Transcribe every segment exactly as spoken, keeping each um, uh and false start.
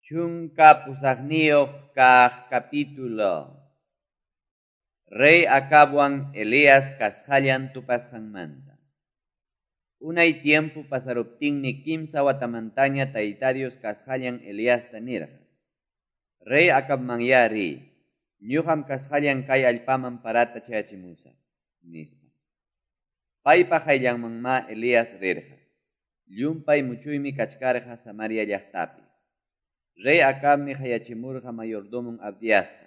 Chunka pusaqniyuq kaq capítulo. Rey Acabwan Elías kasqallan tupasqanmanta. Unay tiempo pasaruptinmi kimsa watamantaña Tayta Dios kasqallan Eliasta nirqa: Rey Acabmanyá riy, ñoqam kasqallan kay allpaman parata chayachimusaq, nispa. Paypa qayllanmanmá Elías rirqa. Llumpay muchuymi kachkarqa Samaria llaqtapi. Rey Acabmi qayachimurqa mayordomon Abdiasta.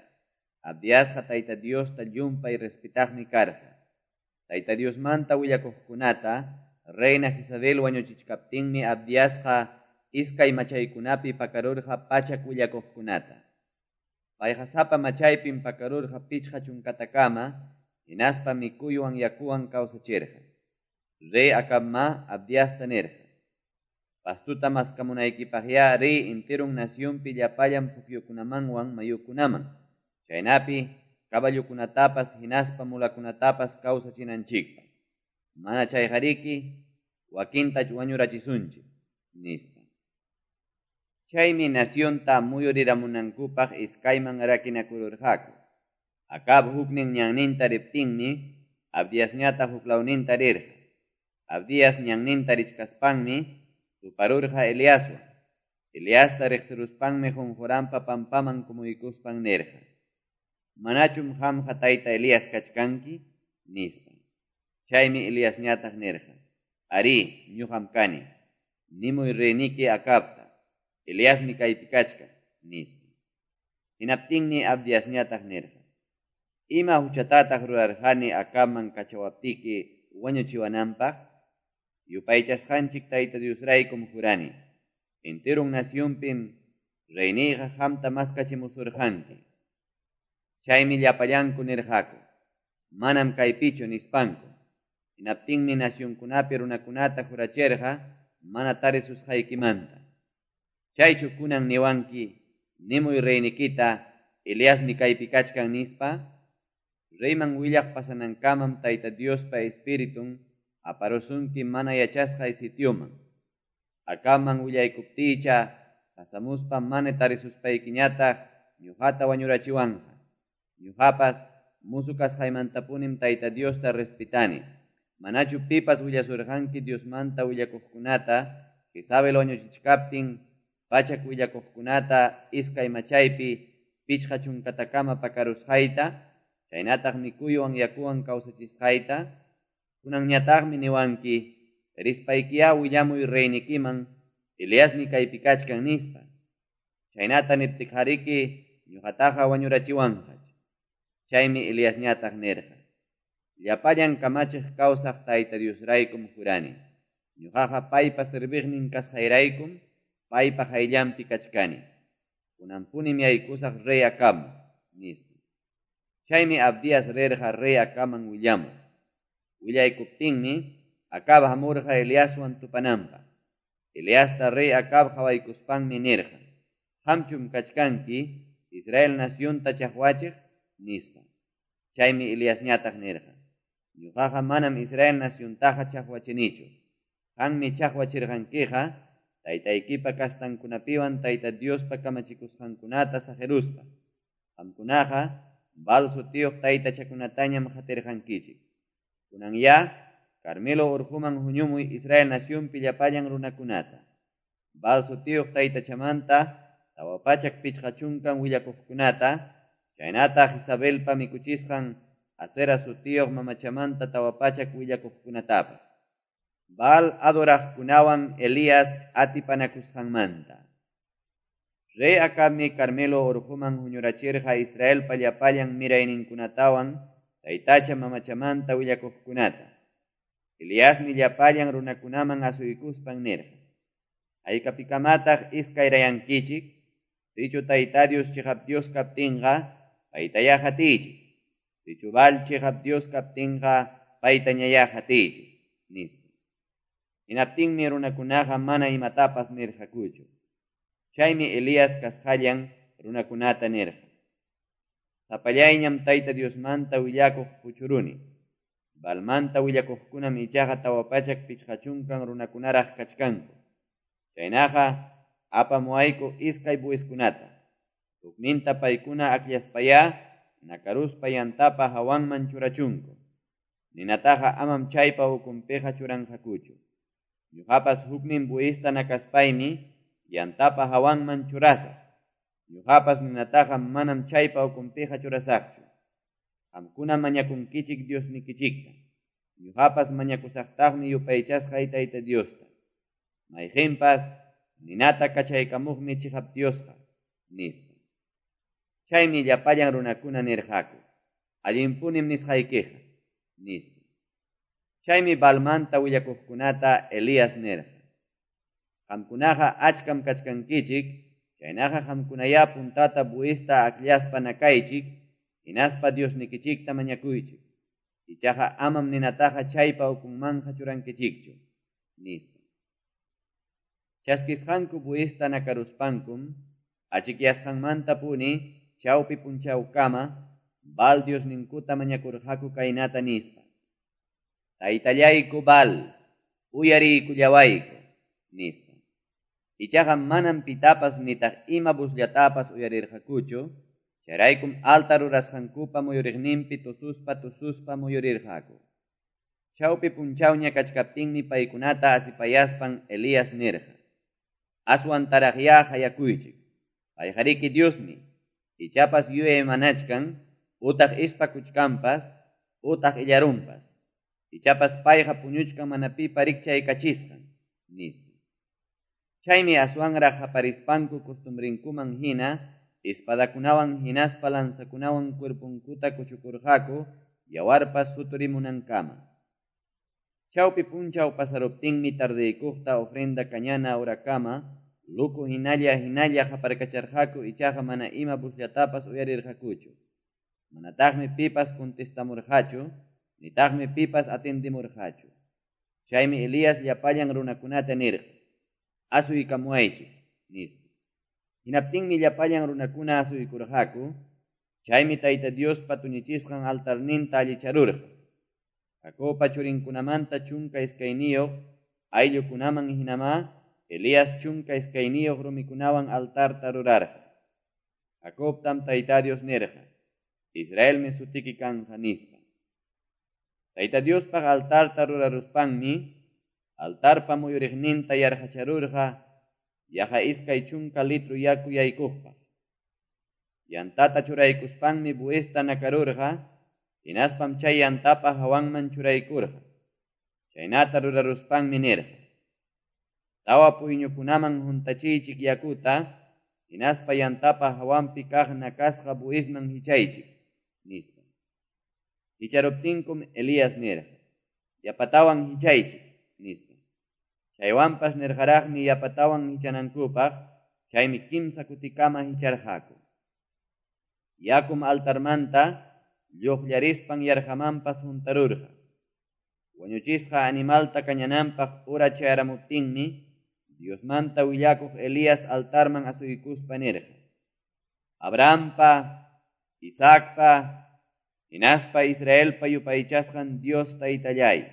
Abdiasqa Tayta Diosta llumpay respetaqmi karqa. Tayta Diosmanta willakuqkunata reina Jezabel wañuchichkaptinmi Abdiasqa iskay machaykunapi pakarurqa pachak willakuqkunata. Payqa sapa machaypim pakarurqa pichqa chunkatakama, hinaspa mikuywan yakuwan kawsachirqa. Rey Acabmá Abdiasta nirqa: Pastuta maskamunaykipaqyá riy enteron nacionpi llapallan pukyukunamanwan mayukunaman, chaynapi caballokunatapas hinaspa mulakunatapas kawsachinanchikpaq. Mana chayqariki wakintach wañurachisunchik, nispa. Chaymi nacionta muyuriramunankupaq iskayman rakinakururqaku. Acab huknin ñanninta riptinmi Abdiasñataq huklawninta rirqa. Abdias ñanninta richkaspanmi tuparurqa Eliaswan. Eliasta riqsiruspanmi qunquranpa pampaman kumuykuspan nirqa: Manachum qamqa tayta Elías kachkanki? Nispa. Chaymi Eliasñataq nirqa: Arí, ñuqam kani. Nimuy reyniki Acabta: Eliasmi kaypi kachkan, nispa. Hinaptinmi Abdiasñataq nirqa: Ima huchatataq rurarqani Acabman kachawaptiki wañuchiwananpaq? Yupaychasqanchik Tayta Diosraykum jurani. Enteron nacionpim reyniyqa qamta maskachimusurqanki. Chaymi llapallanku nirqaku: Manam kaypichu, nispanku. Hinaptinmi nacionkunapi runakunata jurachirqa mana tarisusqaykimanta. Chaychu kunan niwanki: Nimuy reynikita, Eliasmi kaypi kachkan, nispa? Reyman willaq pasanankamam Tayta Diospa Espiritun aparusunki mana yachasqay sitioman. Acabman willaykuptiycha pasamuspa mana tarisuspaykiñataq ñuqata wañurachiwanqa. Ñuqapas musu kasqaymantapunim Tayta Diosta respetani. Manachu pipas willasurqanki Diosmanta willakuqkunata Jezabel wañuchichkaptin pachak willakuqkunata iskay machaypi pichqa chunkatakama pakarusqayta, chaynataq mikuywan yakuwan kawsachisqayta? Kunanñataqmi niwanki: Rispaykiyá willamuy reynikiman, Eliasmi kaypi kachkan, nispa. Chaynata niptiqariki ñuqataqa wañurachiwanqach. Chaymi Eliasñataq nirqa: Llapallan kamachiq kawsaq Tayta Diosraykum jurani. Ñuqaqa paypa serviqnin kasqayraykum paypa qayllanpi kachkani. Kunanpunim yaykusaq rey Acabman, nispa. Chaymi Abdias rirqa rey Acabman willamuq. Willaykuptinmi Acab hamurqa Eliaswan tupananpaq. Eliasta rey Acab qawaykuspanmi nirqa: Qamchum kachkanki Israel nacionta chaqwachiq, nispa. Chaymi Eliasñataq nirqa: Ñuqaqa manam Israel naciontaqa chaqwachinichu. Qammi chaqwachirqankiqa taytaykipa kastankunapiwan Tayta Diospa kamachikusqankunata saqiruspa. Qamkunaqa Baal sutiyuq taytachakunatañam qatirqankichik. Kunanyá Carmelo urquman huñumuy Israel nacionpi llapallan runakunata. Baal sutiyuq taytachamanta tawa pachak pichqa chunkan willakuqkunata, chaynataq Jezabelpa mikuchisqan Asera sutiyuq mamachamanta tawa pachak willakuqkunatapas. Baal adoraqkunawan Elías atipanakusqanmanta. Rey Acabmi Carmelo urquman huñurachirqa Israelpa llapallan mirayninkunatawan taytacha mamachamanta willakuqkunata. Eliasmi llapallan runakunaman asuykuspan nirqa: Haykapikamataq iskayrayankichik? Sichu Tayta Dios chiqap Dios kaptinqa, paytayá qatiychik. Sichu Baal chiqap Dios kaptinqa, paytañayá qatiychik, nispa. Hinaptinmi runakunaqa mana imatapas nirqakuchu. Chaymi Elías kasqallan runakunata nirqa: Sapallayñam Tayta Diosmanta willakuq puchuruni. Baalmanta willakuqkunam ichaqa tawa pachak pichqa chunkan runakunaraq kachkanku. Chaynaqa apamuwayku iskay bueyeskunata. Hukninta paykuna akllaspayá nakaruspa yantapa hawanman churachunku. Ninataqa amam chaypa ukunpiqa churanqakuchu. Ñuqapas huknin bueyesta nakaspaymi yantapa hawanman churasaq. Ñuqapas ninataqa manam chaypa ukunpiqa churasaqchu. Qamkuna mañakunkichik Diosnikichikta. Ñuqapas mañakusaqtaqmi yupaychasqay Tayta Diosta. Mayqinpas ninata kachaykamuqmi chiqap Diosqa, nispa. Chaymi llapallan runakuna nirqaku, allinpunim nisqaykiqa, nispa. Chaymi Baalmanta willakuqkunata Elías nirqa, qamkunaqa achkam kachkankichik, chaynaqa qamkunayá puntata bueyesta akllaspa nakaychik, hinaspa Diosnikichikta mañakuychik. Ichaqa amam ninataqa chaypa ukunmanqa churankichikchu, nispa. Chaskisqanku bueyesta nakaruspankum, achikyasqanmantapuni chawpi punchawkama Baal Diosninkuta mañakurqaku kaynata nispa. Taytallayku Baal, uyariykullawayku, nispa. Ichaqa manam pitapas nitaq ima busllatapas uyarirqakuchu, chayraykum altar rurasqankupa muyuriqninpi tususpa tususpa muyurirqaku. Chawpi punchawña kachkaptinmi paykunata asipayaspan Elías nirqa, aswantaraqyá hayakuychik, payqariki Diosmi, ichapas yuyaymanachkan, utaq ispakuchkanpas, utaq illarunpas, ichapas payqa puñuchkan mana pipa rikchaykachisqan, nispa. Chaymi aswanraq haparispanku costumbrinkuman hina, espadakunawan hinaspa lanzakunawan cuerpunkuta kuchukurqaku, yawarpas suturimunankama. Chawpi punchaw pasaruptinmi tardeykuqta ofrenda kañana horakama, luku hinalla hinalla haparkacharqaku ichaqa mana ima busllatapas uyarirqakuchu. Manataqmi pipas contestamurqachu, nitaqmi pipas atendimurqachu. Chaymi Elías llapallan runakunata nirqa, asuykamuwaychik, nispa. Hinaptinmi llapallan runakuna asuykurqaku, chaymi Tayta Diospa tuñichisqan altarninta allicharurqa. Jacobpa churinkunamanta chunka iskayniyuq ayllukunaman hinamá Elías chunka iskayniyuq rumikunawan altarta rurarqa. Jacobtam Tayta Dios nirqa, Israelmi sutiki kanqa, nispa. Tayta Diospaq altarta ruraruspanmi, altarpa muyuriqninta yarqacharurqa, yaqa iskay chunka litro yaku yaykuqpaq. Yantata churaykuspanmi bueyesta nakarurqa, hinaspam chay yantapa hawanman churaykurqa. Chaynata ruraruspanmi nirqa, tawa puyñukunaman huntachiychik yakuta, hinaspa yantapa hawanpi kaq nakasqa bueyesman hichaychik, nispa. Hicharuptinkum Elías nirqa, yapatawan hichaychik, nispa. Chaywanpas nirqaraqmi yapatawan hichanankupaq, chaymi kimsa kutikama hicharqaku. Yakum altarmanta lluqllarispan yarqamanpas huntarurqa. Wañuchisqa animalta kañananpaq ura chayaramuptinmi, Diosmanta willakuq Elías altarman asuykuspa nirqa, Abrahampa, Isaacpa, hinaspa Israelpa yupaychasqan Dios Taytallay,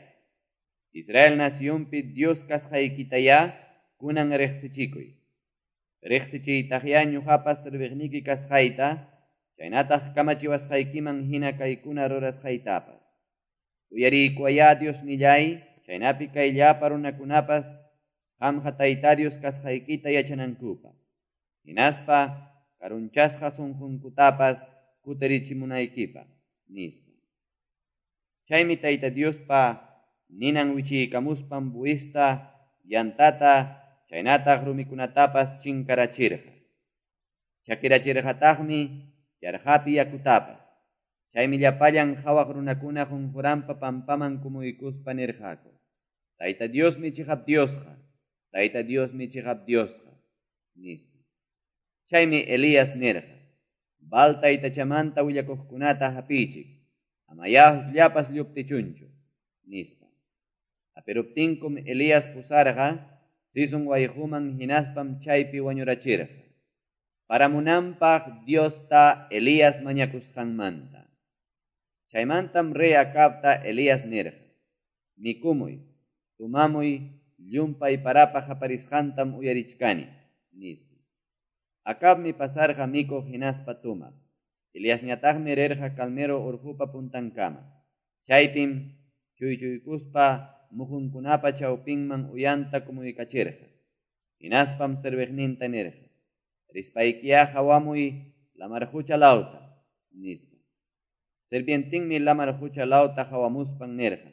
Israel nacionpi Dios kasqaykitayá kunan riqsichikuy. Riqsichiytaqyá ñuqapas serviqniki kasqayta, chaynataq kamachiwasqaykiman hina kaykuna rurasqaytapas. Uyariykuwayá Diosnillay, chaynapi kay llapa runakunapas qamqa Tayta Dios kasqaykita yachanankupaq. Hinaspa karunchasqa sunqunkutapas kutirichimunaykipaq, nispa. Chaymi Tayta Diospa ninan wichiykamuspan bueyesta, yantata, chaynataq rumikunatapas chinkarachirqa. Chakirachirqataqmi yarqapi yakutapas. Chaymi llapallan hawaq runakuna qunquranpa pampaman kumuykuspa nirqaku, Tayta Diosmi chiqap Diosqa, Tayta Diosmi chiqap Diosqa, nispa. Chaymi Elías nirqa, Baal taytachamanta willakuqkunata hapiychik, amayá hukllapas lluptichunchu, nispa. Hapiruptinkum Elías pusarqa, Sison wayquman hinaspam chaypi wañurachirqa. Paramunanpaq Diosta Elías mañakusqanmanta. Chaymantam rey Acabta Elías nirqa, mikumuy, tumamuy, llumpay parapa haparisqantam uyarichkani, nispa. Acabmi pasarqa mikuq hinaspa tomaq. Eliasñataqmi rirqa Carmelo Orqopa puntankama. Chaypim chuychuykuspa muqunkunapa chawpinman uyanta kumuykachirqa. Hinaspam serviqninta nirqa: Rispaykiyá qawamuy lamar qocha lawta, nispa. Sirvientenmi lamar qocha lawta qawamuspan nirqa: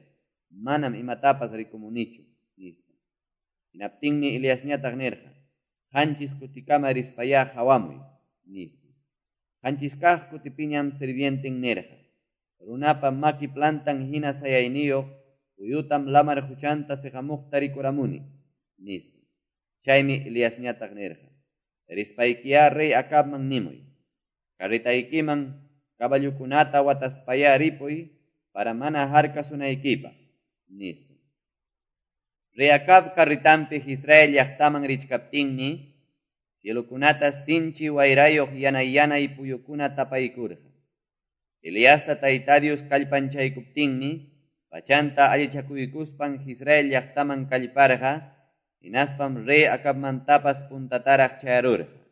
Manam imatapas rikumunichu, nispa. Hinaptinmi Eliasñataq nirqa: Qanchis kutikama rispayá qawamuy, nispa. Qanchis kaq kutipiñam sirvienten nirqa: Runapa maki plantan hina sayayniyuq puyutam lamar qochanta seqamuqta rikuramuni, nispa. Chaymi Eliasñataq nirqa: Rispaykiyá rey Acabman nimuy: Carretaykiman caballokunata wataspayá ripuy para mana harkasunaykipaq, nispa. Rey Acab carretanpi Jezreel llaqtaman richkaptinmi, cielokunata sinchi wayrayuq yanay-yanay puyukuna tapaykurqa. Eliasta Tayta Dios kallpanchaykuptinmi, pachanta allichakuykuspan Jezreel llaqtaman kallparqa, hinaspam rey Acabmantapas puntataraq chayarurqa.